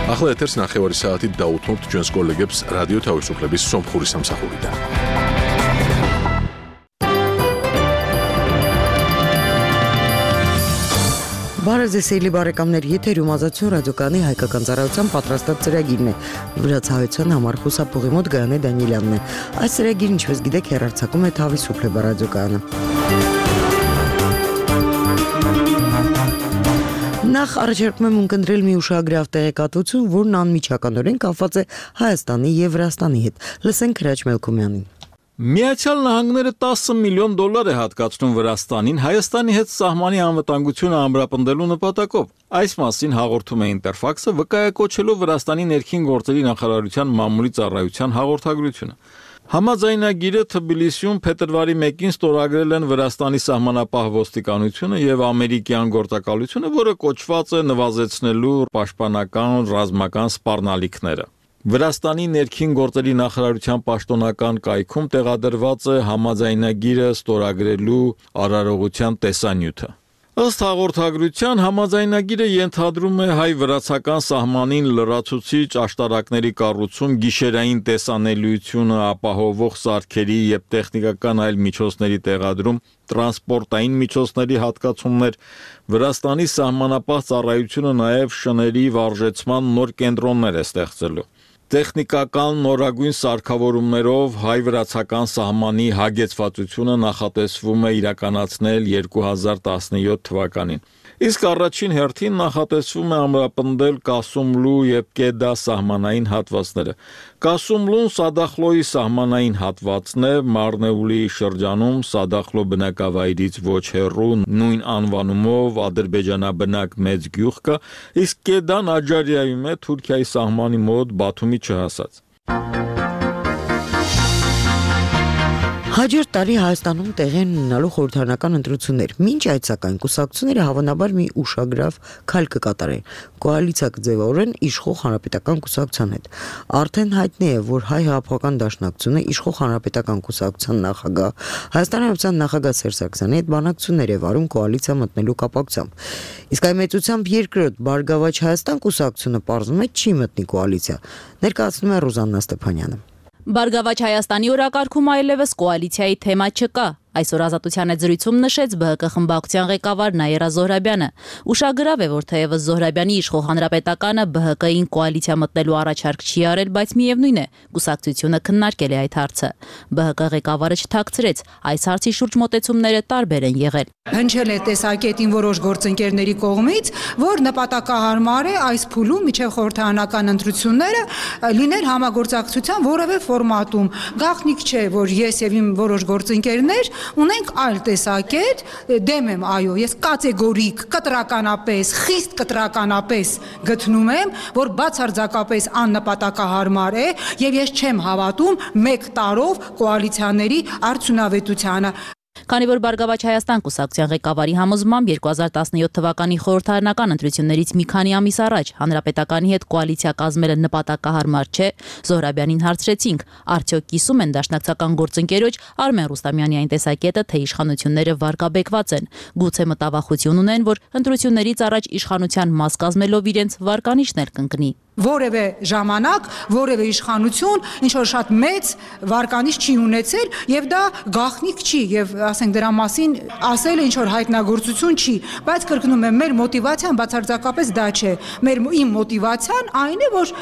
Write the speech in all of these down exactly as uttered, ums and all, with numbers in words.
ახლა ეთერს ნახევარი საათით დაუთმობთ ჩვენს კოლეგებს რადიო თავისუფლების სომხური სამსახურიდან. Բարեզեսելի բարեկամներ, եթերում ազատություն ռադիոկայանի հայկական ծառայության պատրաստած ծրագիրն է, վրացահայության համար խուսափողի մոտ Գայանե Դանիելյանն է։ Այս ծրագիրը, ինչպես գիտեք, հեռարձակում է Თავისუფლება ռադիոկայանը։ Նախ առաջարկում եմ ունկնդրել մի ուշագրավ տեղեկատվություն, որն անմիջականորեն կապված է Հայաստանի եւ Վրաստանի հետ։ Լսենք Հրաչ Մելքումյանին։ Միացյալ Նահանգները տասը միլիոն դոլար է հատկացնում Վրաստանին Հայաստանի հետ սահմանի անվտանգությունը ամրապնդելու նպատակով։ Այս մասին հաղորդում է Ինտերֆաքսը, վկայակոչելով Վրաստանի ներքին գործերի նախարարության մամուլի ծառայության հաղորդագրությունը։ Համաձայնագիրը Թբիլիսիում փետրվարի մեկին ստորագրել են Վրաստանի սահմանապահ ոստիկանությունը եւ ամերիկյան գործակալությունը, որը կոչված է նվազեցնելու պաշտպանական ռազմական սպառնալիքները։ Վրաստանի ներքին գործերի նախարարության պաշտոնական կայքում տեղադրված է համաձայնագիրը ստորագրելու արարողության տեսանյութը։ Ըստ հաղորդագրության համաձայնագիրը ենթադրում է հայ-վրացական սահմանին լրացուցիչ աշտարակների կառուցում, գիշերային տեսանելիությունը ապահովող սարքերի եւ տեխնիկական այլ միջոցների տեղադրում, տրանսպորտային միջոցների հատկացումներ, Վրաստանի սահմանապահ ծառայությունը նաեւ շների վարժեցման նոր կենտրոններ է ստեղծելու։ Տեխնիկական նորագույն սարքավորումներով հայ-վրացական սահմանի հագեցվածությունը նախատեսվում է իրականացնել երկու հազար տասնյոթ թվականին։ Իսկ առաջին հերթին նախատեսվում է ամրապնդել Կասումլու եւ Կեդա սահմանային հատվածները։ Կասումլուն Սադախլոյի սահմանային հատվածն է, Մարնեուլի շրջանում Սադախլո բնակավայրից ոչ հեռու նույն անվանումով ադրբեջանաբնակ մեծ գյուղ կա, իսկ Կեդան Աջարիայում է Թուրքիայի սահմանի մոտ Բաթումի չհասած։ Հաջորդ տարի Հայաստանում տեղի են ունենալու խորհրդարանական ընտրություններ։ Մինչ այդ սակայն կուսակցությունները հավանաբար մի ուշագրավ քայլ կկատարեն։ Կոալիցիա կձևավորեն իշխող հանրապետական կուսակցության հետ։ Արդեն հայտնի է, որ Հայ հեղափոխական դաշնակցությունը իշխող հանրապետական կուսակցության նախագահ Հայաստանի Հանրապետության նախագահ Սերժ Սարգսյանի հետ բանակցություններ է վարում կոալիցիա մտնելու կապակցությամբ։ Իսկ այ մեծությամբ երկրորդ Բարգավաճ Հայաստան կուսակցությունը պարզվում է չի մտնի կոալիցիա։ Ներկայացնում է Ռուզաննա Ստեփանյանը։ Բարգավաճ Հայաստանի օրակարգում այլևս կոալիցիայի թեմա չկա։ Այսօր Ազատության հետ զրույցում նշեց ԲՀԿ խմբակցության ղեկավար Նաիրա Զոհրաբյանը։ Ուշագրավ է, որ թեև Զոհրաբյանի իշխող հանրապետականը ԲՀԿ-ին կոալիցիա մտնելու առաջարկ չի արել, բայց միևնույն է, կուսակցությունը քննարկել է այդ հարցը։ ԲՀԿ ղեկավարը չթաքցրեց, այս հարցի շուրջ մոտեցումները տարբեր են եղել։ Հնչել է տեսակետին որոշ գործընկերների կողմից, որ նպատակահարմար է այս փուլում միջև խորհրդարանական ընտրությունները լինել համագործակցության որևէ ֆորմատում։ Գաղտնիք չէ, որ ես եւ իմ որոշ գործընկերներ ունենք այլ տեսակետ, դեմ եմ, այո, ես կատեգորիկ, կտրականապես, խիստ կտրականապես գտնում եմ, որ բացարձակապես աննպատակահարմար է եւ ես չեմ հավատում մեկ տարով կոալիցիաների արդյունավետությանը։ Քանի որ Բարգավաճ Հայաստան կուսակցության ղեկավարի համոզմամբ երկու հազար տասնյոթ թվականի խորհրդարանական ընտրություններից մի քանի ամիս առաջ հանրապետականի հետ կոալիցիա կազմելը նպատակահարմար չէ, Զոհրաբյանին հարցրեցինք, արդյոք կիսում են դաշնակցական գործընկերոջ Արմեն Ռուստամյանի այն տեսակետը, թե իշխանությունները վարկաբեկված են, գուցե մտավախություն ունեն, որ ընտրություններից առաջ իշխանության մաս կազմելով իրենց վարկանիշն էլ կընկնի։ Որևէ ժամանակ, որևէ իշխանություն ինչ որ շատ մեծ վարկանիշ չի ունեցել եւ դա գաղտնիք չի եւ ասենք դրա մասին ասել ինչ որ հայտնագործություն չի, բայց կրկնում եմ, մեր մոտիվացիան բացարձակապես դա չէ։ Մեր իմ մոտիվացիան այն է, որ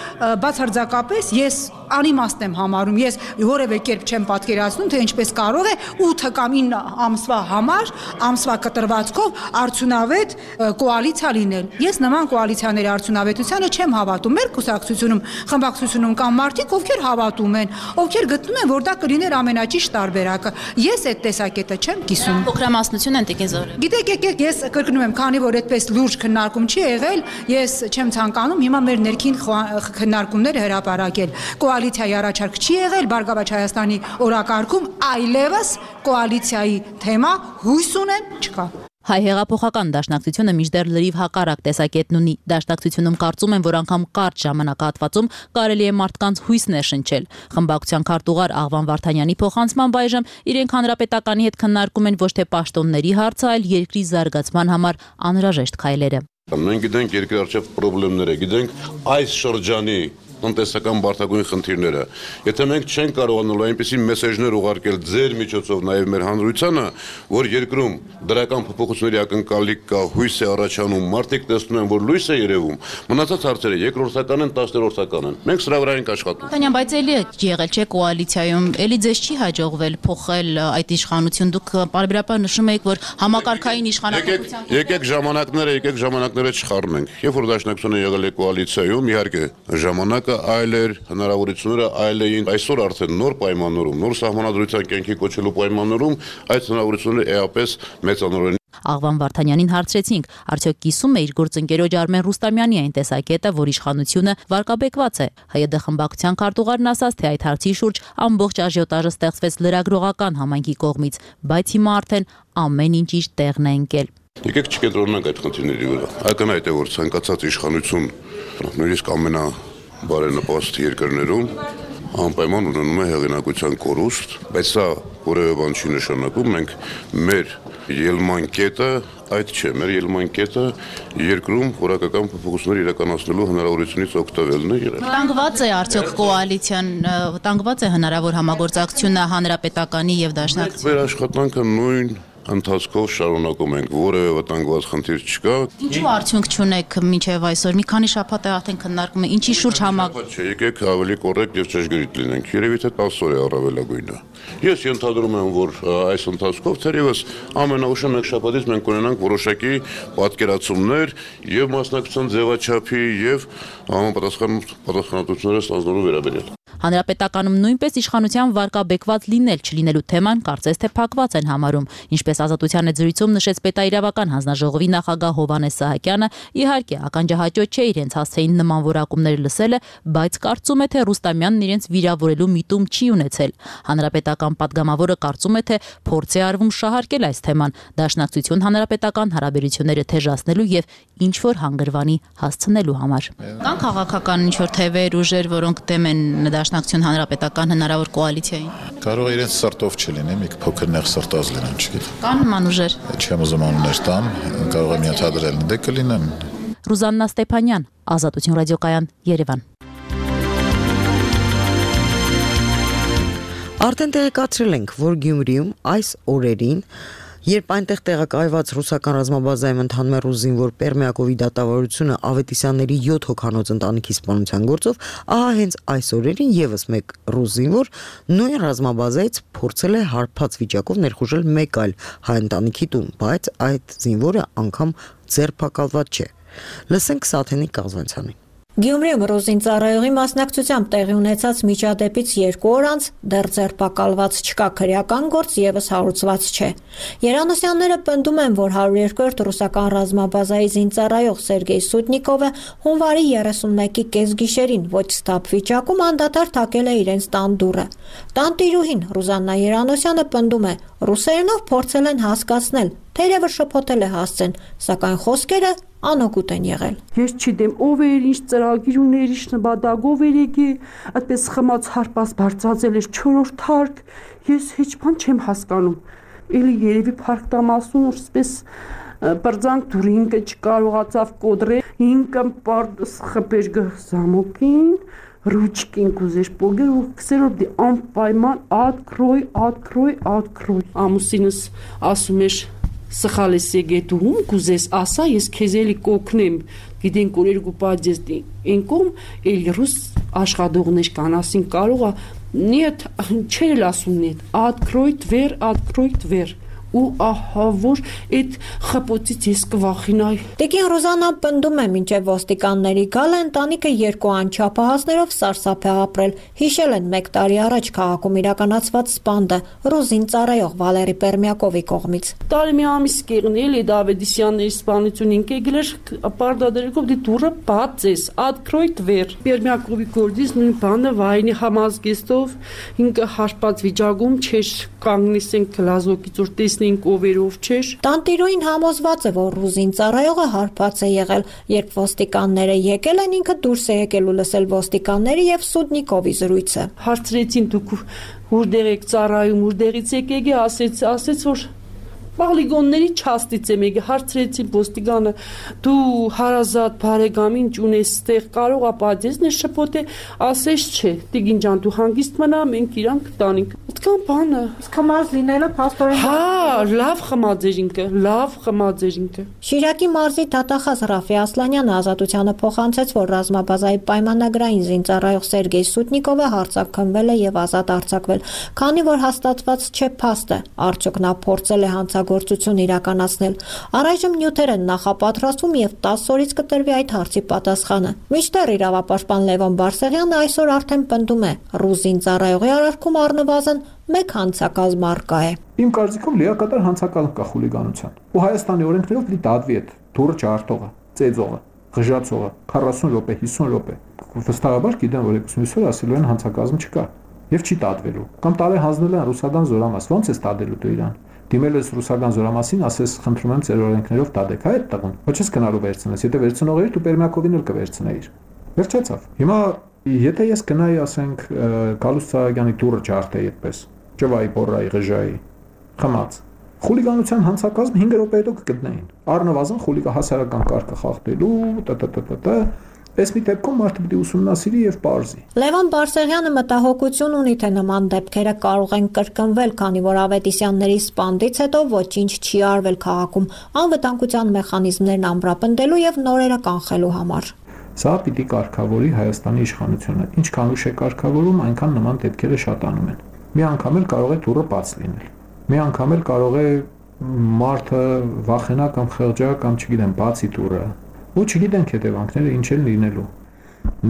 բացարձակապես ես անիմաստ եմ համարում, ես որևէ կերպ չեմ պատկերացնում, թե ինչպես կարող է ութ կամ ինը ամսվա համար, ամսվա կտրվածքով արդյունավետ կոալիցիա լինել։ Ես նման կոալիցիաների արդյունավետությանը չեմ հավատում։ Կուսակցությունում, խմբակցությունում կան մարդիկ, ովքեր հավատում են, ովքեր գտնում են, որ դա կլիներ ամենաճիշտ տարբերակը։ Ես այդ տեսակետը չեմ կիսում։ Փոքրամասնություն են տիկին Զոհրաբյան։ Գիտեք, եկեք, ես կրկնում եմ, քանի որ այդպես լուրջ քննարկում չի եղել, ես չեմ ցանկանում հիմա մեր ներքին քննարկումները հրապարակել։ Կոալիցիայի առաջարկ չի եղել Բարգավաճ Հայաստանի օրակարգում, այլևս կոալիցիայի թեմա հույս ունեմ չկա։ Հայ հեղափոխական դաշնակցությունը մինչդեռ լրիվ հակառակ տեսակետն ունի։ Դաշնակցությունում կարծում են, որ անգամ կարճ ժամանակահատվածում կարելի է մարդկանց հույս ներշնչել։ Խմբակցության քարտուղար Աղվան Վարդանյանի փոխանցմամբ այժմ իրենք հանրապետականի հետ քննարկում են ոչ թե պաշտոնների հարցը, այլ երկրի զարգացման համար անհրաժեշտ քայլերը։ Մենք գիտենք երկրի առջև խնդիրները, գիտենք այս շրջանի տնտեսական բարդագույն խնդիրները։ Եթե մենք չենք կարողանալու այնպիսի մեսեջներ ուղարկել ձեր միջոցով նաև մեր հանրությանը, որ երկրում դրական փոփոխությունների ակնկալիք կա, հույս է առաջանում, մարդիկ տեսնում են, որ լույս է երևում, մնացած հարցերը երկրորդական են, տասներորդական են։ Մենք սրա վրա ենք աշխատում։ Տանյան, բայց էլի եղել չէ կոալիցիայում, էլի ձեզ չի հաջողվել փոխել այդ իշխանություն, դուք պարբերաբար նշում եք, որ համակարգային իշխանապետության Եկեք ժամանակները, եկեք ժամանակները չխառնենք։ Երբ որ դաշնակցությունը եղել է կոալիցիայում, իհարկե ժամանակը այլ էր, հնարավորությունները այլ էին։ Այսօր արդեն նոր պայմաններում, նոր սահմանադրության կյանքի կոչելու պայմաններում այդ հնարավորությունները էապես մեծանորեն։ Աղվան Վարդանյանին հարցրեցինք, արդյոք կիսում է իր գործընկերոջ Արմեն Ռուստամյանի այն տեսակետը, որ իշխանությունը վարկաբեկված է։ ՀՅԴ խմբակցության քարտուղարն ասաց, թե այդ հարցի շուրջ ամբողջ աժիոտաժը ստեղծվեց լրագրողական համայնքի կողմից, բայց հիմա արդեն ամեն ինչ իր տեղն է ընկել։ Եկեք չկենտրոնանանք այդ խնդիրների վրա։ Ակնհայտ է, որ ցանկացած իշխանություն, նույնիսկ ամենա բարենպաստ երկրներում անպայման ունենում է հեղինակության կորուստ, բայց սա որևէ բան չի նշանակում, մենք մեր ելման կետը այդ չէ, մեր ելման կետը երկրում որակական փոփոխություններ իրականացնելու հնարավորությունից օգտվելն է եղել։ Վտանգված է արդյոք կոալիցիան, վտանգված է հնարավոր համագործակցությունը հանրապետականի եւ դաշնակցության։ Մեր աշխատանքը նույն ընթացքով շարունակում ենք, որևէ վտանգված խնդիր չկա։ Ինչու արդյունք չունեք մինչև այսօր։ Մի քանի շաբաթ է արդեն քննարկում է, ինչի շուրջ համակ։ Չէ, եկեք ավելի կոռեկտ եւ ճշգրիտ լինենք։ Երևի թե տասը օր է առավելագույնը։ Ես ենթադրում եմ, որ այս ընթացքով թերևս ամենաուշը մեկ շաբաթից մենք ունենանք որոշակի պատկերացումներ եւ մասնակցության ձևաչափի եւ համապատասխան պատասխանատվությունները ստանձնելու վերաբերյալ։ Հանրապետականում նույնպես իշխանության վարկաբեկված լինել չլինելու թեման կարծես թե փակված են համարում, ինչպես Ազատության հետ զրույցում նշեց պետաիրավական հանձնաժողովի նախագահ Հովհաննես Սահակյանը, իհարկե ականջահաճո չէ իրենց հասցեին նման որակումներ լսելը, բայց կարծում է, թե Ռուստամյանն իրենց վիրավորելու միտում չի ունեցել։ Հանրապետական падգամավորը կարծում է, թե փորձ է արվում շահարկել այս թեման, դաշնակցություն հանրապետական հարաբերությունները թեժացնելու եւ ինչ որ հանգրվանի հասցնելու համար։ Կան քաղաքական ինչ որ թևեր, ուժեր, որոնք դեմ են դաշնակցություն հանրապետական հնարավոր կոալիցիային։ Կարող է իրենց սրտով չլինի, մի փոքր նեղ սրտած լինեն, չգիտեմ։ Կան նման ուժեր։ Չեմ ուզում անուններ տամ, կարող եմ ենթադրել, դե կլինեն։ Ռուզաննա Ստեփանյան, Ազատություն ռադիոկայան, Երևան։ Արդեն տեղեկացրել ենք, որ Գյումրիում այս օրերին, երբ այնտեղ տեղակայված ռուսական ռազմաբազայում ընթանում է ռուս զինվոր Պերմյակովի դատավարությունը Ավետիսյանների յոթ հոգանոց ընտանիքի սպանության գործով, ահա հենց այս օրերին եւս մեկ ռուս զինվոր նույն ռազմաբազայից փորձել է հարբած վիճակով ներխուժել մեկ այլ հայ ընտանիքի տուն, բայց այդ զինվորը անգամ ձերբակալված չէ։ Լսենք Սաթենի Կազանցյանին։ Գյումրիում ռուզին ծառայողի մասնակցությամբ տեղի ունեցած միջադեպից երկու օր անց դեռ ձերբակալված չկա, քրեական գործ եւս հարուցված չէ։ Երանոսյանները պնդում են, որ հարյուր երկրորդ ռուսական ռազմաբազայի զինծառայող Սերգեյ Սուտնիկովը հունվարի երեսունմեկի կեսգիշերին ոչ ստապ վիճակում անդադար թակել է իրենց տան դուռը։ Տանտիրուհին Ռուզաննա Երանոսյանը պնդում է, ռուսերենով փորձել են հասկացնել, թերևս շփոթել է հասցեն, սակայն խոսքերը անօգուտ են եղել։ Ես չգիտեմ ով էր, ինչ ծրագիր ուներ, ինչ նպատակով էր եկի, այդպես խմած հարպած բարձրացել էր չորրորդ թարք, ես հեչ բան չեմ հասկանում։ Էլի երևի փառք տամասուն որպես բրձանք դուրը ինքը չկարողացավ կոդրել, ինքը պարդ խփեր գզամոկին, ռուչկին կուզեր պոգեր ու քսերով դի անպայման открой, открой, открой։ Ամուսինս ասում էր սխալ ես եկել դու ում կուզես ասա ես քեզ էլի կօգնեմ գիտենք որ երկու պատժես ինքում էլ ռուս աշխատողներ կան ասին կարող է нет չել ասում нет открой дверь открой дверь ու ահա որ այդ խփոցից ես կվախենայի։ Տիկին Ռուզաննան պնդում է, մինչև ոստիկանների գալը ընտանիքը երկու անչափահասներով սարսափ է ապրել։ Հիշել են մեկ տարի առաջ քաղաքում իրականացված սպանդը ռուզին ծառայող Վալերի Պերմյակովի կողմից։ Տարի մի ամիս կեղնել է Ավետիսյանների սպանությունին կեգլեր պարտադերկով դի դուրը բացես открой дверь Պերմյակովի գործից նույն բանը վայնի համազգեստով ինքը հարբած վիճակում չէր կանգնեցին գլազոկից որ տեսնենք ովերով չէր։ Տանտիրուին համոզված է, որ ռուզին ծառայողը հարբած է եղել, երբ ոստիկանները եկել են, ինքը դուրս է եկել ու լսել ոստիկանների եւ Սուտնիկովի զրույցը։ Հարցրեցին դուք որտեղ եք ծառայում, որտեղից եք եկել, ասեց, ասեց որ Պոլիգոնների չաստից եմ եկել, հարցրեցի ոստիկանը, դու հարազատ բարեկամին ունես ստեղ, կարող է պատերազմներ շփոթե, ասես չէ, տիկին ջան, դու հանգիստ մնա, մենք իրանք տանենք։ Այդքան բանը։ Իսկ խմած լինելը փաստորեն։ Հա, լավ խմած էր ինքը, լավ խմած էր ինքը։ Շիրակի մարզի դատախազ Ռաֆի Ասլանյանը ազատությանը փոխանցեց, որ ռազմաբազայի պայմանագրային զինծառայող Սերգեյ Սուտնիկովը հարձակվել է եւ ազատ արձակվել, քանի որ հաստատված չէ փաստը, արդյոք նա փորձել է հանցագործություն իրականացնել։ Առայժմ նյութեր են նախապատրաստվում եւ տասը օրից կտրվի այդ հարցի պատասխանը։ Մինչդեռ իրավապաշտպան Լևոն Բարսեղյանը այսօր արդեն պնդում է, ռուզին ծառայողի արարքում առնվազն մեկ հանցակազմ առկա է։ Իմ կարծիքով լիակատար հանցակազմ կա խուլիգանության։ Ու Հայաստանի օրենքներով պիտի դատվի այդ դուրը չարտողը, ծեծողը, ղժացողը քառասուն րոպե, հիսուն րոպե։ Վստահաբար գիտեմ, որ երկուսունից օր ասելու են հանցակազմ չկա եւ չի դատվելու։ Կամ տարի հանձնել են ռուսական զորամաս, ո՞նց է դատելու դու իրան։ Դիմել ես ռուսական զորամասին, ասես խնդրում եմ ձեր օրենքներով դատեք, հա այդ տղուն։ Ոչ ես գնալու վերցնես, եթե վերցնող էիր, դու Պերմյակովին էլ կվերցնեիր։ Վերջացավ։ Հիմա եթե ես գնայի, ասենք, Գալուստ Սահակյանի դուրը ջարդեի այդպես, ճվայի, բորրայի, ղժայի, խմած։ Խուլիգանության հանցակազմ հինգ րոպե հետո կգտնեին։ Առնվազն խուլիգա հասարակական կարգը խախտելու, տտտտտ Այս մի դեպքում մարդը պիտի ուսումնասիրի եւ պարզի։ Լևոն Բարսեղյանը մտահոգություն ունի, թե նման դեպքերը կարող են կրկնվել, քանի որ Ավետիսյանների սպանդից հետո ոչինչ չի արվել քաղաքում անվտանգության մեխանիզմներն ամրապնդելու եւ նորերը կանխելու համար։ Սա պիտի կարգավորի Հայաստանի իշխանությունը։ Ինչքան ուշ է կարգավորում, այնքան նման դեպքերը շատանում են։ Մի անգամ էլ կարող է դուռը բաց լինել։ Մի անգամ էլ կարող է մարդը վախենա կամ խեղճա կամ չգիտեմ, բացի դուռը։ Ու չգիտենք հետևանքները ինչ են լինելու։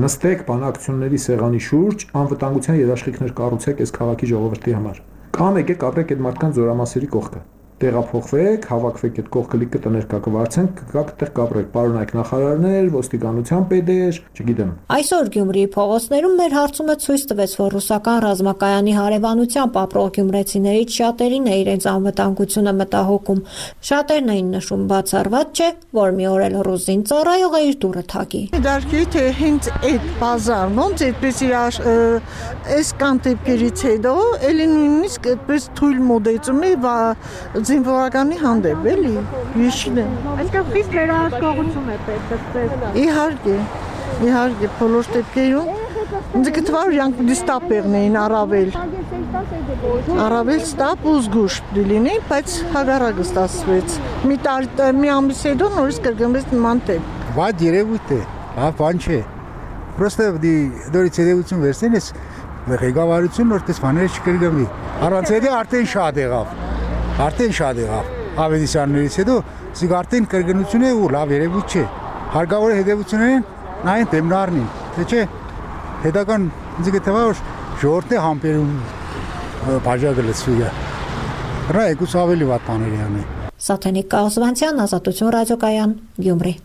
Նստեք բանակցությունների սեղանի շուրջ, անվտանգության երաշխիքներ կառուցեք այս քաղաքի ժողովրդի համար։ Կամ եկեք ապրեք այդ մարդկանց զորամասերի կողքը։ Տեղափոխվեք, հավաքվեք այդ կողքը լիքը տներ կա կվարձենք, կգաք այդտեղ կապրեք, պարոնայք նախարարներ, ոստիկանության պետեր, չգիտեմ։ Այսօր Գյումրիի փողոցներում մեր հարցումը ցույց տվեց, որ ռուսական ռազմակայանի հարևանությամբ ապրող գյումրեցիներից շատերին է իրենց անվտանգությունը մտահոգում։ Շատերն էին նշում բացառված չէ, որ մի օր էլ ռուսին ծառայողը իր դուռը թակի։ Դարքի թե հենց այդ բազարն ոնց այդպես իր այս կան դեպքերից հետո էլի նույնիսկ այդպես թույլ մոդեցում է զինվորականի հանդեպ, էլի, ես չնեմ։ Այսինքն խիստ վերահսկողություն է պետք։ Իհարկե, իհարկե, բոլոր դեպքերում ինձ գտվար իրանք դիստապերն էին առավել։ Առավել ստապ ու զգուշ լինի, բայց հագարակը ստացվեց։ Մի տարի, մի ամիս հետո նորից կրկնվեց նման դեպք։ Վատ երևույթ է, հա, բան չէ։ Պրոստը դորից երևություն վերցնեն, ես ղեկավարություն որպես բաները չկրկնվի։ Առանց հետո արդեն շատ եղավ։ Արդեն շատ եղավ, Ավետիսյաններից հետո սիկ արդեն կրկնություն է ու լավ երևույթ չէ, հարկավոր է հետևություններին նայեն դեմնարնին, թե չէ, հետական ինձ գտվա որ ժողովրդն է համբերում բաժակը լցվի է, հրա եկուս ավելի վատ բաների անի։ Սաթենիկ Կաղզվանցյան, Ազատություն ռադիոկայան, Գյումրի։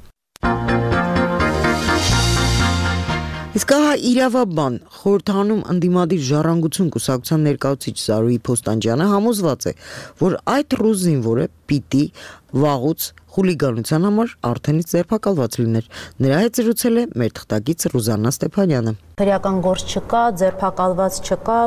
Իսկ ահա իրավաբան խորհրդանում ընդդիմադիր ժառանգություն կուսակցության ներկայացուցիչ Զարուհի Փոստանջյանը համոզված է, որ այդ ռուս զինվորը պիտի վաղուց խուլիգանության համար արդենից ձերբակալված լիներ։ Նրա հետ զրուցել է մեր թղթակից Ռուզաննա Ստեփանյանը։ Քրեական գործ չկա, ձերբակալված չկա,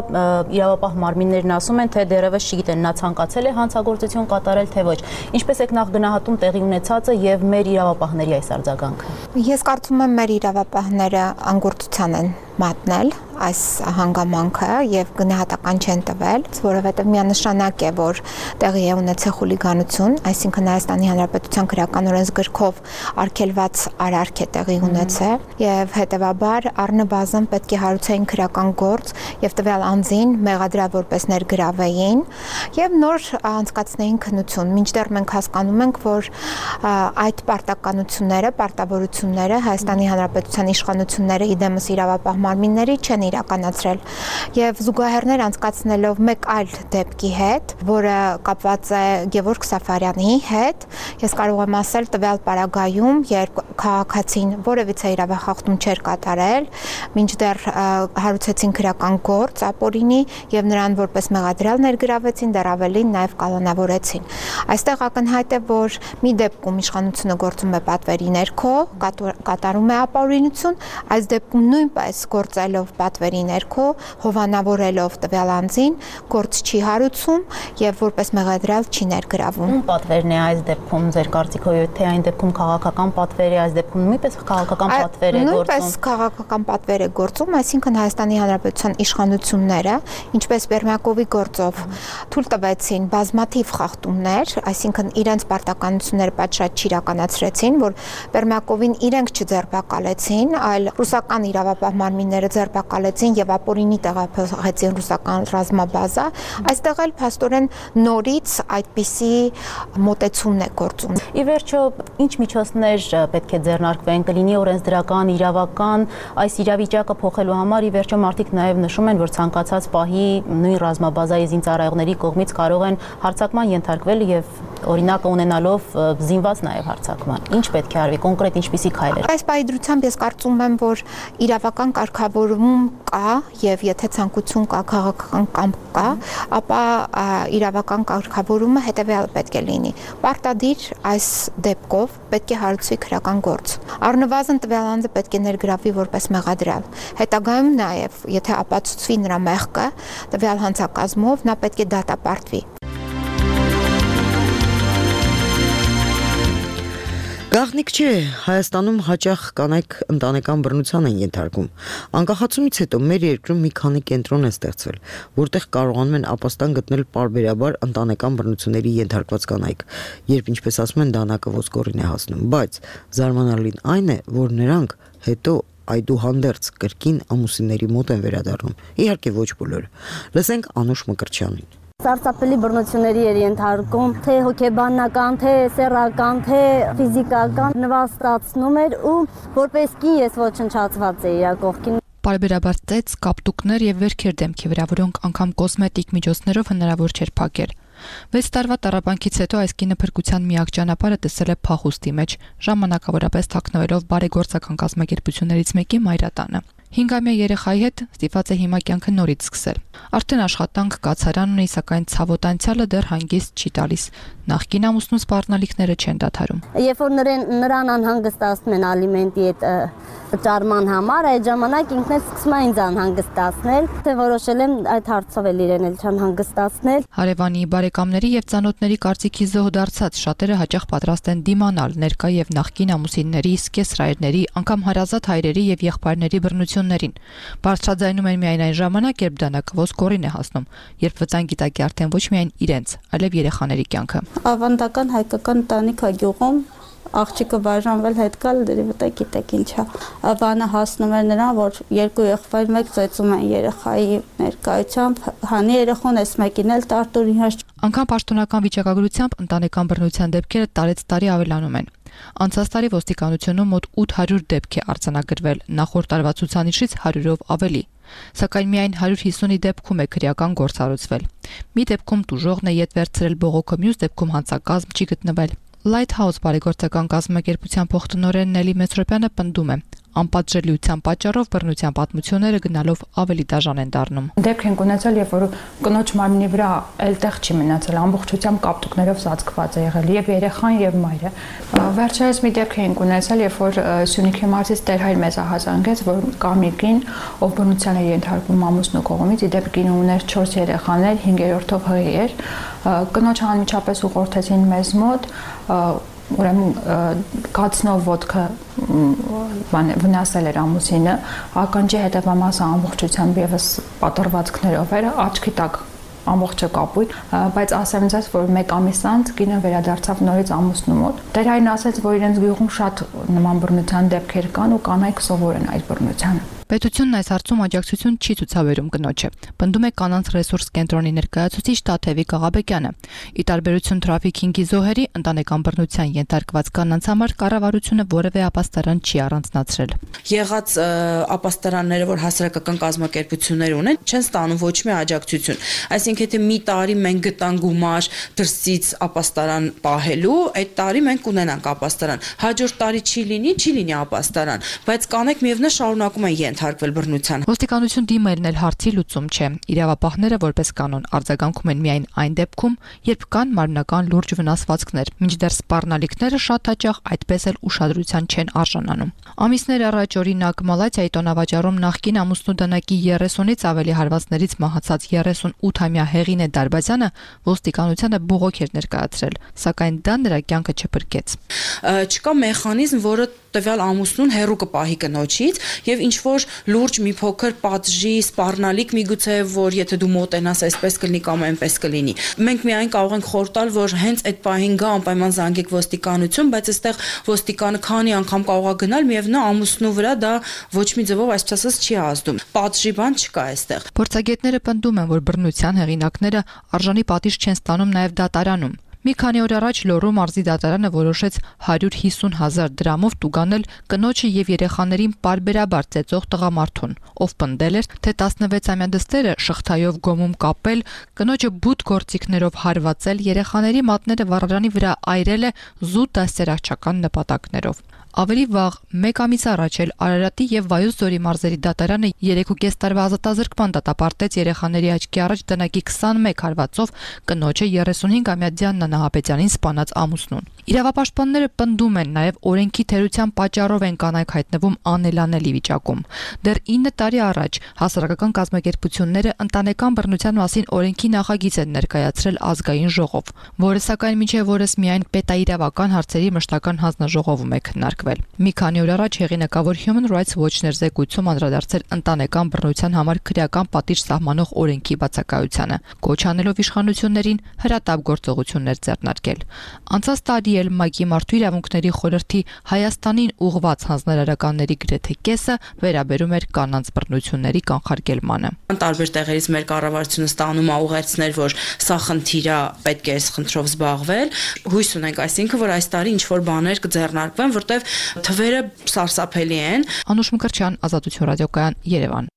իրավապահ մարմիններն ասում են, թե դեռևս չգիտեն նա ցանկացել է հանցագործություն կատարել, թե ոչ։ Ինչպես եք նախ գնահատում տեղի ունեցածը եւ մեր իրավապահների այս արձագանքը։ Ես կարծում եմ մեր իրավապահները անգործության են մատնել այս հանգամանքը եւ գնահատական չեն տվել, որովհետեւ միանշանակ է, որ տեղի է ունեցել խուլիգանություն, այսինքն Հայաստանի Հանրապետության քրեական օրենսգրքով արգելված արարք է տեղի ունեցել եւ հետեւաբար առնվազն պետք է հարուցեին քրեական գործ եւ տվյալ անձին մեղադրել որպես ներգրավեին եւ նոր անցկացնեին քննություն։ Մինչդեռ մենք հասկանում ենք, որ այդ պարտականությունները, պարտավորությունները Հայաստանի Հանրապետության իշխանությունները իդեմս իրավապահ մարմինների չեն իրականացրել եւ զուգահեռներ անցկացնելով մեկ այլ դեպքի հետ, որը կապված է Գևորգ Սաֆարյանի հետ, ես կարող եմ ասել տվյալ պարագայում, երբ քաղաքացին որևիցե իրավախախտում չէր կատարել, մինչդեռ հարուցեցին քրեական գործ ապօրինի եւ նրան որպես մեղադրյալ ներգրավեցին, դեռ ավելին նաեւ կանոնավորեցին։ Այստեղ ակնհայտ է, որ մի դեպքում իշխանությունը գործում է պատվերի ներքո, կատարում է ապօրինություն, այս դեպքում նույնպես գործելով պատվերի ներքո, հովանավորելով տվյալ անձին, գործ չի հարուցում եւ որպես մեղադրյալ չի ներգրավում։ Ում պատվերն է այս դեպքում ձեր կարծիքով, թե այն դեպքում քաղաքական պատվեր է, այս դեպքում նույնպես քաղաքական պատվեր է գործում։ Նույնպես քաղաքական պատվեր է գործում, այսինքն Հայաստանի Հանրապետության իշխանությունները, ինչպես Բերմակովի գործով թույլ տվեցին բազմաթիվ խախտումներ, այսինքն իրենց պարտականությունները պատշաճ չիրականացրեցին, որ Բերմակովին իրենք չձերբակալեցին, այլ ռուսական իրավապահ մարմինները ձերբակալեցին եւ ապօրինի տեղափոխեցին ռուսական ռազմաբազա, այստեղ էլ փաստորեն նորից այդպիսի մոտեցումն է գործում։ Ի վերջո, ինչ միջոցներ պետք է ձեռնարկվեն, կլինի օրենսդրական, իրավական, այս իրավիճակը փոխելու համար ի վերջո մարդիկ նաև նշում են, որ ցանկացած պահի նույն ռազմաբազայի զինծառայողների կողմից կարող են հարձակման ենթարկվել եւ օրինակը ունենալով զինված նաև հարձակման։ Ինչ պետք է արվի, կոնկրետ ինչպիսի քայլեր։ Այս պայդրությամբ ես կարծում եմ, որ իրավական կարգավորում կա եւ եթե ցանկություն կա, քաղաքական կամք կա, ապա իրավական կարգավորումը հետեւյալը պետք է լինի։ Պարտադիր այս դեպքով պետք է հարուցվի քրական գործ։ Առնվազն տվյալ անձը պետք է ներգրավվի որպես մեղադրյալ։ Հետագայում նաև, եթե ապացուցվի նրա մեղքը, տվյալ հանցակազմով նա պետք է դատապարտվի։ Գաղտնիք չէ, Հայաստանում հաճախ կանայք ընտանեկան բռնության են ենթարկվում։ Անկախացումից հետո մեր երկրում մի քանի կենտրոն է ստեղծվել, որտեղ կարողանում են ապաստան գտնել պարբերաբար ընտանեկան բռնությունների ենթարկված կանայք, երբ ինչպես ասում են դանակը ոսկորին է հասնում, բայց զարմանալին այն է, որ նրանք հետո այդուհանդերձ կրկին ամուսինների մոտ են վերադառնում։ Իհարկե ոչ բոլորը։ Լսենք Անուշ Մկրտչյանին։ Սարսափելի բռնությունների էր ենթարկում, թե հոգեբանական, թե սեռական, թե ֆիզիկական նվաստացնում էր ու որպես կին ես ոչնչացված էի իր կողքին։ Պարբերաբար ծեծ, կապտուկներ եւ վերքեր դեմքի վրա, որոնք անգամ կոսմետիկ միջոցներով հնարավոր չէր փակել։ Վեց տարվա տառապանքից հետո այս կինը փրկության միակ ճանապարհը տեսել է փախուստի մեջ, ժամանակավորապես թաքնվելով բարեգործական կազմակերպություններից մեկի մայրատանը։ Հինգամյա երեխայի հետ ստիպված է հիմա կյանքը նորից սկսել։ Արդեն աշխատանք, կացարան ունի, սակայն ցավոտ անցյալը դեռ հանգիստ չի տալիս։ Նախկին ամուսնու սպառնալիքները չեն դադարում։ Երբ որ նրան նրան անհանգստացնում են ալիմենտի այդ վճարման համար, այդ ժամանակ ինքն էլ սկսում է ինձ անհանգստացնել, թե որոշել եմ այդ հարցով էլ իրեն էլ չանհանգստացնել։ Հարևանի, բարեկամների եւ ծանոթների կարծիքի զոհ դարձած շատերը հաճախ պատրաստ են դիմանալ ներկա եւ նախկին ամուսինների, սկեսրայրների, անգամ հարազատ հայրերի եւ եղբայրների բռնություններին։ Բարձրաձայնում են միայն այն ժամանակ, երբ դանակը ոսկորին է հասնում, երբ վտանգի տակ է արդեն ոչ միայն իրենց, այլև երեխաների կյանքը։ Ավանդական հայկական ընտանիք է գյուղում, աղջիկը բաժանվել հետ գալ դրի վտա գիտեք ինչա։ Բանը հասնում էր նրան, որ երկու եղբայր մեկ ծեծում են երեխայի ներկայությամբ, հանի երեխան էս մեկին էլ տարտուրի հաշ։ Անկամ պաշտոնական վիճակագրությամբ ընտանեկան բռնության դեպքերը տարեց տարի ավելանում են։ Անցած տարի ոստիկանությունում մոտ ութ հարյուր դեպք է արձանագրվել, նախորդ տարվա ցուցանիշից հարյուրով ավելի։ Սակայն միայն հարյուր հիսունի դեպքում է քրեական գործ հարուցվել։ Մի դեպքում տուժողն է ետ վերցրել բողոքը, մյուս դեպքում հանցակազմ չի գտնվել։ Lighthouse բարեգործական կազմակերպության փոխտնօրեն Նելի Մեսրոպյանը պնդում է. անպատժելիության պատճառով բռնության պատմությունները գնալով ավելի դաժան են դառնում։ Դեպք ենք ունեցել, երբ որ կնոջ մարմնի վրա էլ տեղ չի մնացել, ամբողջությամբ կապտուկներով ծածկված է եղել եւ երեխան եւ մայրը։ Վերջերս մի դեպք ենք ունեցել, երբ որ Սյունիքի մարզից Տեր-Հայր մեզ ահազանգեց, որ կամիկին, ով բռնության է ենթարկվում ամուսնու կողմից, իդեպ կինը ուներ չորս երեխաներ, հինգերորդով հղի էր։ Կնոջը անմիջապես ուղղորդեցին մեզ մոտ, ուրեմն կացնով ոտքը վնասել էր ամուսինը, ականջի հետևամասը ամբողջությամբ եւս պատրվածքներով էր, աչքի տակ ամբողջը կապույտ, բայց ասեմ ձեզ, որ մեկ ամիս անց կինը վերադարձավ նորից ամուսնու մոտ։ Տերային ասաց, որ իրենց գյուղում շատ նման բռնության դեպքեր կան ու կանայք սովոր են այդ բռնությանը։ Պետությունն այս հարցում աջակցություն չի ցուցաբերում կնոջը։ Պնդում է կանանց ռեսուրս կենտրոնի ներկայացուցիչ Տաթևիկ Աղաբեկյանը։ Ի տարբերություն թրաֆիքինգի զոհերի, ընտանեկան բռնության ենթարկված կանանց համար կառավարությունը որևէ ապաստարան չի առանձնացրել։ Եղած ապաստարանները, որ հասարակական կազմակերպություններ ունեն, չեն ստանում ոչ մի աջակցություն։ Այսինքն, եթե մի տարի մենք գտանք գումար դրսից ապաստարան պահելու, այդ տարի մենք կունենանք ապաստարան։ Հաջորդ տարի չի լինի, չի լինի ապաստարան, բայց կանայք միևնույն շարունակում են ենթարկվել բռնության։ Ոստիկանություն դիմելն էլ հարցի լուծում չէ։ Իրավապահները որպես կանոն արձագանքում են միայն այն դեպքում, երբ կան մարմնական լուրջ վնասվածքներ, մինչդեռ սպառնալիքները շատ հաճախ այդպես էլ ուշադրության չեն արժանանում։ Ամիսներ առաջ օրինակ Մալաթիայի տոնավաճառում նախկին ամուսնու դանակի երեսունից ավելի հարվածներից մահացած երեսունութամյա Հեղինե Դարբազյանը ոստիկանությանը բողոք էր ներկայացրել, սակայն դա նրա կյանքը չփրկեց։ Չկա մեխանիզմ, որը տվյալ ամուսնուն հեռու կպահի կնոջից եւ ինչ որ լուրջ մի փոքր պատժի, սպառնալիք միգուցե որ եթե դու մոտենաս այսպես կլինի կամ այնպես կլինի։ Մենք միայն կարող ենք խոր տալ, որ հենց այդ պահին գա անպայման զանգեք ոստիկանություն, բայց այստեղ ոստիկանը քանի անգամ կարող է գնալ, միևնույն ամուսնու վրա դա ոչ մի ձևով այսպես ասած չի ազդում։ Պատժի բան չկա այստեղ։ Փորձագետները պնդում են, որ բռնության հեղինակները արժանի պատիժ չեն ստանում նաեւ դատարանում։ Մի քանի օր առաջ Լոռու մարզի դատարանը որոշեց հարյուր հիսուն հազար դրամով տուգանել կնոջը եւ երեխաներին պարբերաբար ծեծող տղամարդուն, ով պնդել էր, թե տասնվեցամյա դստերը շղթայով գոմում կապել, կնոջը բութ գործիքներով հարվածել, երեխաների մատները վառարանի վրա այրել է զուտ դաստիարակչական նպատակներով։ Ավելի վաղ, մեկ ամիս առաջ էլ Արարատի եւ Վայոց ձորի մարզերի դատարանը երեք ու կես տարվա ազատազրկման դատապարտեց երեխաների աչքի առաջ դանակի քսանմեկ հարվածով կնոջը երեսունհինգամյա Դիանա Նահապետյանին սպանած ամուսնուն։ Իրավապաշտպանները պնդում են նաեւ օրենքի թերության պատճառով են կանայք հայտնվում անելանելի վիճակում։ Դեռ ինը տարի առաջ հասարակական կազմակերպությունները ընտանեկան բռնության մասին օրենքի նախագիծ են ներկայացրել ազգային ժողով, որը սակայն մինչև օրս միայն պետաիրավական հարցերի մշտական հանձնաժողովում է քննարկվել։ Մի քանի օր առաջ հեղինակավոր Human Rights Watch-ն էր զեկույցում անդրադարձել ընտանեկան բռնության համար քրեական պատիժ սահմանող օրենքի բացակայությանը, կոչ անելով իշխանություններին հրատապ գործողություններ ձեռնարկել։ Անցած տարի էլ ՄԱԿ-ի Մարդու իրավունքների խորհրդի Հայաստանին ուղղված հանձնարարականների գրեթե կեսը վերաբերում էր կանանց բռնությունների կանխարգելմանը։ Տարբեր տեղերից մեր կառավարությունը ստանում է ուղերձներ, որ սա խնդիր է, պետք է այս խնդրով զբաղվել։ Հույս ունենք, այսինքն, որ այս տարի ինչ որ բաներ կձեռնարկվեն, որտեղ թվերը սարսափելի են։ Անուշ Մկրտչյան, Ազատություն ռադիոկայան, Երևան։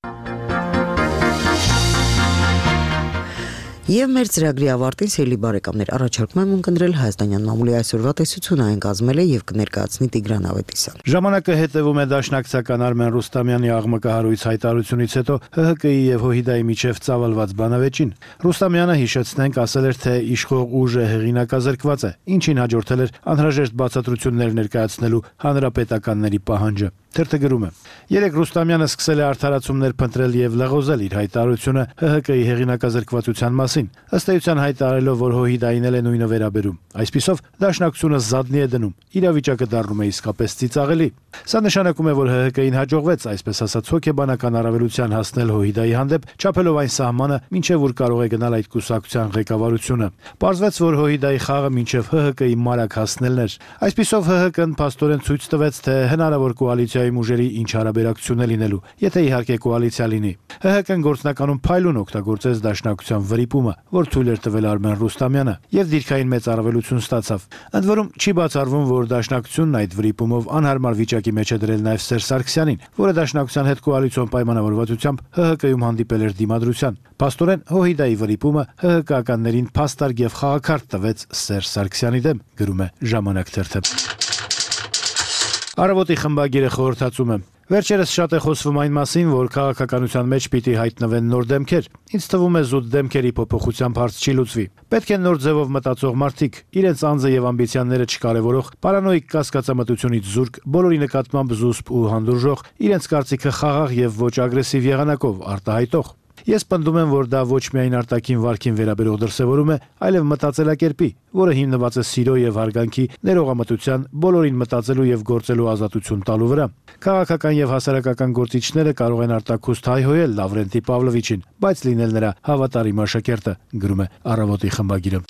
Եվ մեր ծրագրի ավարտին սիրելի բարեկամներ, առաջարկում եմ ունկնդրել հայաստանյան մամուլի այսօրվա տեսությունը, այն կազմել է եւ կներկայացնի Տիգրան Ավետիսյան։ Ժամանակը հետևում է դաշնակցական Արմեն Ռուստամյանի աղմկահարույց հայտարարությունից հետո Հ Հ Կ-ի եւ Հոհիդայի միջև ծավալված բանավեճին։ Ռուստամյանը, հիշեցնենք, ասել էր, թե իշխող ուժը հեղինակազրկված է, ինչին հաջորդել էր անհրաժեշտ բացատրություններ ներկայացնելու հանրապետականների պահանջը։ Թերթը գրում է. Երեք Ռուստամյանը սկսել է արդարացումներ փնտրել եւ լղոզել իր հայտարարությունը Հ Հ Կ-ի հեղինակազրկվածության մասին, ըստ էության հայտարարելով, որ Հոհիդային էլ է նույնը վերաբերում։ Այսպիսով դաշնակցությունը զադնի է դնում, իրավիճակը դառնում է իսկապես ծիծաղելի։ Սա նշանակում է, որ Հ Հ Կ-ին հաջողվեց, այսպես ասած, հոգեբանական առավելության հասնել Հոհիդայի հանդեպ, չափելով այն սահմանը, մինչև որ կարող է գնալ այդ կուսակցության ղեկավարությունը։ Պարզվեց, որ Հոհիդայի խաղը մինչև Հ Հ Կ-ի մարակ հասնելն էր։ Այսպիսով Հ Հ Կն փաստորեն ցույց տվեց, թե հնարավոր կոալիցիայի ուժերի ինչ հարաբերակցություն է լինելու, եթե իհարկե կոալիցիա լինի։ Հ Հ Կն գործնականում փայլուն օգտագործեց դաշնակցության վրիպումը, որ թույլ էր տվել Արմեն Ռուստամյանը, եւ դիրքային մեծ առավելություն ստացավ։ Ընդ որում չի բացառվում, որ դաշնակցությունն այդ վրիպումով անհարմար վիճակի մեջ է դրել նաեւ Սերժ Սարգսյանին, որը դաշնակցության հետ կոալիցիոն պայմանավորվածությամբ Հ Հ Կ-ում հանդիպել էր դիմադրության։ Փաստորեն Հոհիդայի վրիպումը Հ Հ Կ-ականներին փաստարկ եւ խաղաքարտ տվեց Սերժ Սարգսյանի դեմ, գրում է Ժամանակ թերթը։ Առավոտի խմբագիրը խորհրդածում է. Վերջերս շատ է խոսվում այն մասին, որ քաղաքականության մեջ պիտի հայտնվեն նոր դեմքեր։ Ինձ թվում է զուտ դեմքերի փոփոխությամբ հարց չի լուծվի։ Պետք է նոր ձևով մտածող մարդիկ, իրենց անձը եւ ամբիցիաները չկարևորող, պարանոիկ կասկածամտությունից զուրկ, բոլորի նկատմամբ զուսպ ու հանդուրժող, իրենց կարծիքը խաղաղ եւ ոչ ագրեսիվ եղանակով արտահայտող։ Ես պնդում եմ, որ դա ոչ միայն արտաքին վարքին վերաբերող դրսևորում է, այլև մտածելակերպի, որը հիմնված է սիրո եւ հարգանքի, ներողամտության, բոլորին մտածելու եւ գործելու ազատություն տալու վրա։ Քաղաքական եւ հասարակական գործիչները կարող են արտաքուստ հայհոյել Լավրենտի Պավլովիչին, բայց լինել նրա հավատարիմ աշակերտը, գրում է Առավոտի խմբագիրը։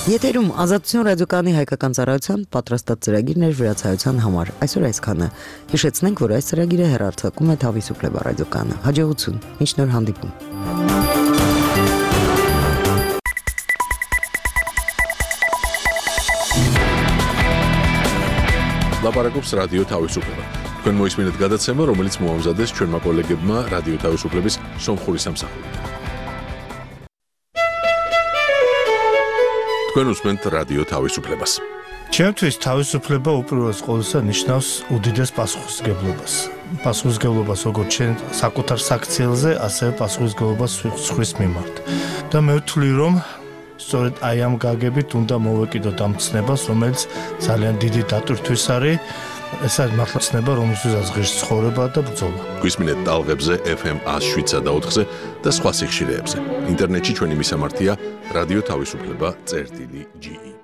Եթերում Ազատություն ռադիոկայանի հայկական ծառայության պատրաստած ծրագիրներ վրացայության համար։ Այսօր այսքանը։ Հիշեցնենք, որ այս ծրագիրը հեռարձակում է Թավիսուպլեբա ռադիոկայանը։ Հաջողություն։ Մինչ նոր հանդիպում։ Լապարակոպս ռադիո Թավիսուպլեբա։ Თქვენ მოისმინეთ გადაცემა, რომელიც მოამზადეს ჩვენმა კოლეგებმა რადიო თავისუფლების სომხური სამსახური. თქვენ უსმენთ რადიო თავისუფლებას. Ჩემთვის თავისუფლება უპირველეს ყოვლისა ნიშნავს უდიდეს პასუხისმგებლობას. Პასუხისმგებლობას როგორც ჩვენ საკუთარ საქციელზე, ასევე პასუხისმგებლობას სხვის მიმართ. და მე ვთვლი, რომ სწორედ აი ამ გაგებით უნდა მოვეკიდოთ ამ ცნებას, რომელიც ძალიან დიდი დატვირთვის არის. ეს არის მართლა ცნება, რომელსაც ღირს ცხოვრება და ბრძოლა. გვისმინეთ ტალღებზე ეფ ემ one oh seven point four-ზე და სხვა სიხშირეებზე. ინტერნეტში ჩვენი მისამართია რადიო თავისუფლება წერტილი ჯი ი.